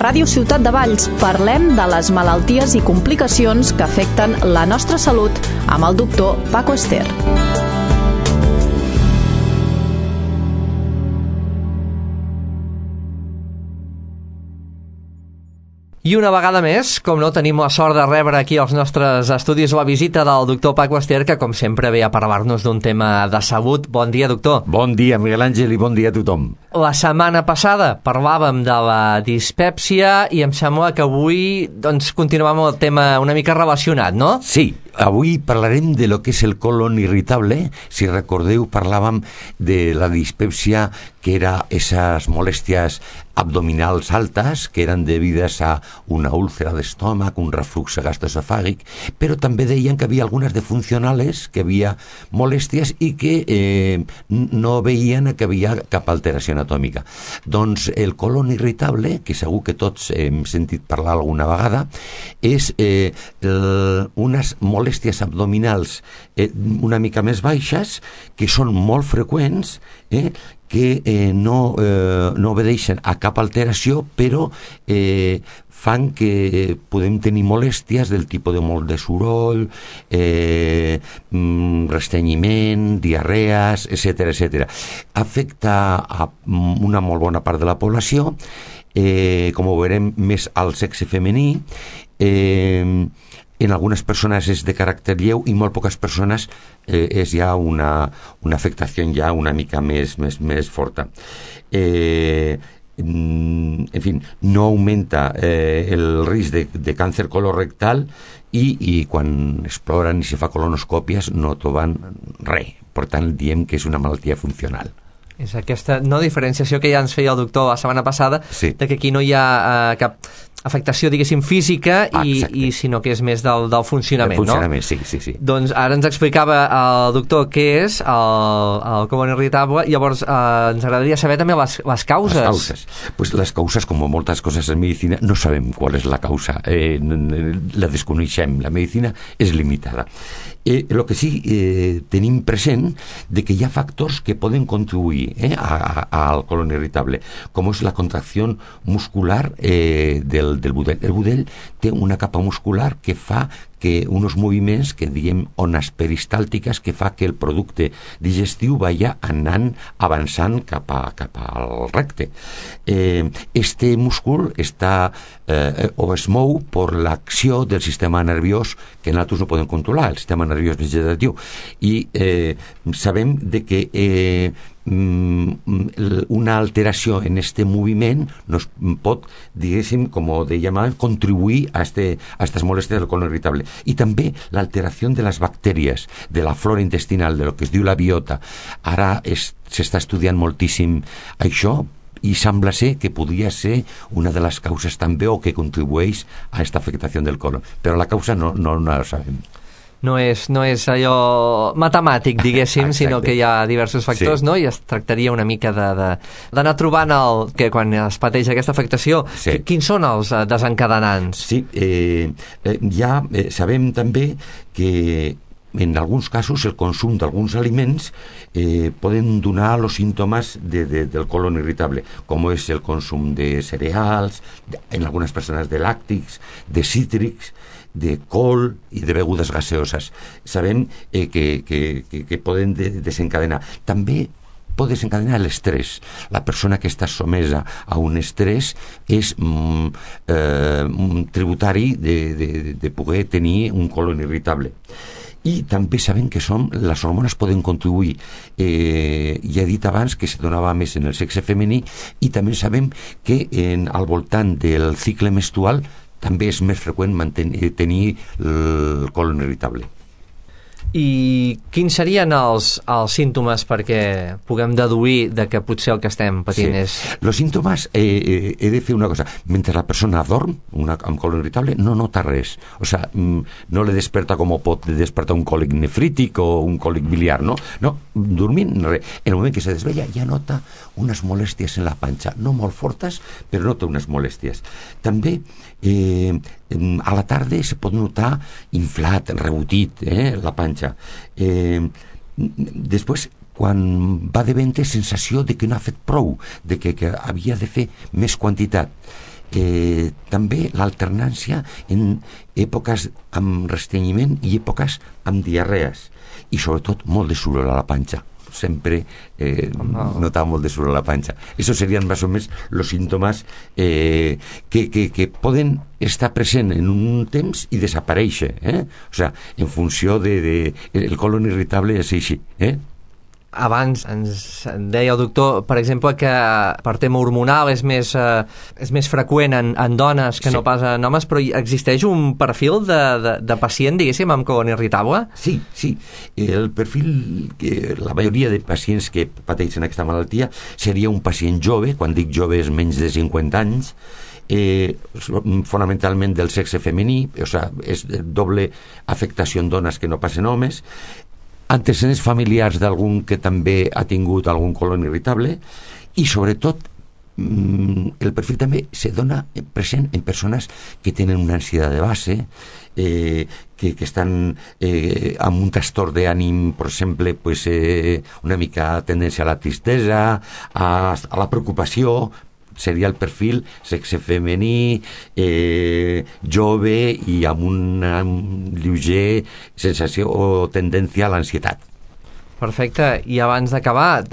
Ràdio Ciutat de Valls parlem de les malalties i complicacions que afecten la nostra salut amb el doctor Paco Ester. I una vegada més, com no, tenim la sort de rebre aquí als nostres estudis la visita del doctor Paco Ester, que com sempre ve a parlar-nos d'un tema de salut. Bon dia, doctor. Bon dia, Miguel Àngel, i bon dia a tothom. La setmana passada parlàvem de la dispèpsia i em sembla que avui continuem amb el tema una mica relacionat, no? Sí, avui parlarem de lo que és el colon irritable. Si recordeu, parlàvem de la dispèpsia, que era esas molèsties abdominals altes que eren debides a una úlcera d'estómac, un reflux gastroesofàgic, però també deien que havia algunes defuncionales, que havia molèsties i que no veien que havia cap alteració anatòmica. Doncs el colon irritable, que segur que tots hem sentit parlar alguna vegada, és unes molèsties abdominals una mica més baixes, que són molt freqüents, que no obedeixen a cap alteració, però fan que podem tenir molèsties del tipus de molt de soroll, restrenyiment, diarrees, etc. Afecta a una molt bona part de la població, com ho veurem més al sexe femení. En algunes persones és de caràcter lleu i molt poques persones és ja una afectació ja una mica més forta. En fi, no augmenta el risc de càncer colorectal i quan exploren i se fa colonoscòpies no troben res. Per tant, diem que és una malaltia funcional. És aquesta no diferenciació que ja ens feia el doctor la setmana passada, sí, de que aquí no hi ha cap afectació, diguéssim, física, i sinó que és més del funcionament, no? Sí. Doncs ara ens explicava el doctor què és el colon irritable, llavors ens agradaria saber també les causes. Pues les causes, com moltes coses en medicina, no sabem qual és la causa, la desconeixem, la medicina és limitada. El que sí tenim present de que hi ha factors que poden contribuir al colon irritable, com és la contracció muscular del budell. El budell té una capa muscular que fa que uns moviments que diem ones peristàltiques, que fa que el producte digestiu vaya anant avançant cap al recte. Este múscul està o es mou per l'acció del sistema nerviós que nosaltres no podem controlar, el sistema nerviós vegetatiu, i sabem de que una alteració en este moviment nos pot, diguéssim, com dèiem abans, contribuir a estas molèsties del colon irritable. I també l'alteració de les bactèries, de la flora intestinal, de lo que es diu la biota. Ara s'està estudiant moltíssim això, i sembla ser que podria ser una de les causes també o que contribueix a aquesta afectació del colon. Però la causa no la sabem. No és allò matemàtic, diguéssim, sinó que hi ha diversos factors, sí, no? I es tractaria una mica d'anar trobant que quan es pateix aquesta afectació, sí, quins són els desencadenants? Sí, ja sabem també que en alguns casos el consum d'alguns aliments poden donar els símptomes del colon irritable, com és el consum de cereals, en algunes persones de làctics, de cítrics, de col i de begudes gaseoses. Sabem que poden desencadenar. També pot desencadenar l'estrès. La persona que està sotmesa a un estrès és tributari de poder tenir un colon irritable. I també sabem que les hormones poden contribuir. Ja he dit abans que se donava més en el sexe femení, i també sabem que al voltant del cicle menstrual també és més freqüent tenir el colon irritable. I quins serien els símptomes perquè puguem deduir de que potser el que estem patint és... Els símptomes, he de fer una cosa. Mentre la persona dorm, amb colon irritable, no nota res. O sigui, no le desperta com pot despertar un còlic nefrític o un còlic biliar, no? No, dormint, res. En el moment que se desvella ja nota unes molèsties en la panxa, no molt fortes, però nota unes molèsties. També a la tarda se pot notar inflat, rebotit, la panxa. Després, quan va de vent, sensació de que no ha fet prou, de que havia de fer més quantitat. també l'alternància en èpoques amb restrenyiment i èpoques amb diarrees, i sobretot molt de soroll a la panxa. Sempre notaba molt de soroll a la panxa. Esos serían más o menos los síntomas que poden estar present en un temps i desaparèixer, o sea, en funció el colon irritable és així, Abans ens deia el doctor, per exemple, que per tema hormonal és més freqüent en dones que no pas en homes, però existeix un perfil de pacient, diguéssim, amb colon irritable? Sí. El perfil, la majoria de pacients que pateixen aquesta malaltia seria un pacient jove, quan dic jove és menys de 50 anys, fonamentalment del sexe femení, o sea, és doble afectació en dones que no pas en homes, antecedents familiars d'algun que també ha tingut algun colon irritable, i sobretot el perfil també se dona present en persones que tenen una ansietat de base, que estan amb un trastorn d'ànim, per exemple, pues, una mica tendència a la tristesa, a la preocupació. Seria el perfil sexe femení, jove i amb una lleuger sensació o tendència a l'ansietat. Perfecte. I abans d'acabar,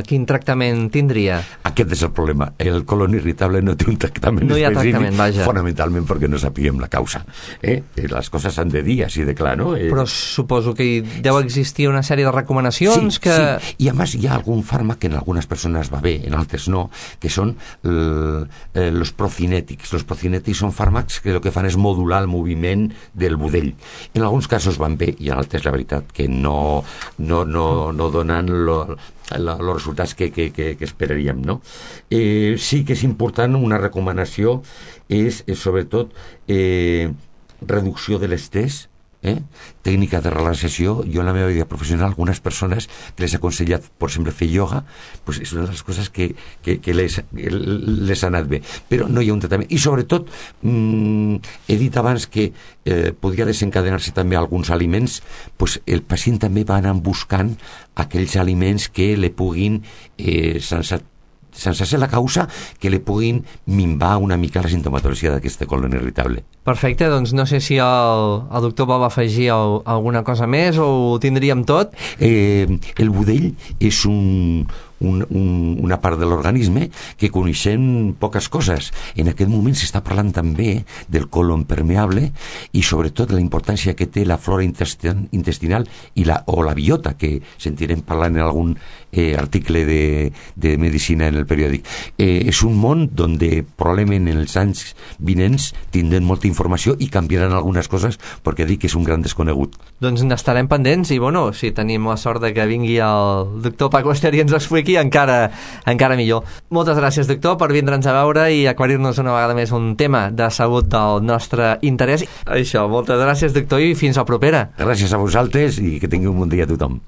quin tractament tindria? Aquest és el problema. El colon irritable no té un tractament específic. No hi ha tractament, vaja. Fonamentalment perquè no sapiguem la causa. Les coses s'han de dir així de clar, no? Però suposo que deu existir una sèrie de recomanacions que... Sí, i a més hi ha algun fàrmac que en algunes persones va bé, en altres no, que són els procinètics. Els procinètics són fàrmacs que el que fan és modular el moviment del budell. En alguns casos van bé i en altres la veritat que no donen els resultats que esperaríem, no? Sí que és important, una recomanació és sobretot reducció de l'estrès, tècnica de relaxació. Jo en la meva vida professional, algunes persones que les he aconsellat, per exemple, fer ioga, pues és una de les coses que les ha anat bé, però no hi ha un tractament. I sobretot he dit abans que podria desencadenar-se també alguns aliments, pues el pacient també va anar buscant aquells aliments que li puguin sense ser la causa, que li puguin minvar una mica la sintomatologia d'aquest colon irritable. Perfecte, doncs no sé si el doctor vol afegir alguna cosa més o ho tindríem tot. El budell és una part de l'organisme que coneixem poques coses. En aquest moment s'està parlant també del colon permeable i sobretot la importància que té la flora intestinal o la biota, que sentirem parlant en algun article de medicina en el periòdic. És un món on probablement en els anys vinents tindrem molta informació i canviaran algunes coses, perquè dic que és un gran desconegut. Doncs n'estarem pendents i, bueno, si tenim la sort de que vingui el doctor Paco Ester i ens ho expliqui, encara millor. Moltes gràcies, doctor, per vindre'ns a veure i aclarir-nos una vegada més un tema de salut del nostre interès. Això, moltes gràcies, doctor, i fins a la propera. Gràcies a vosaltres i que tingui un bon dia a tothom.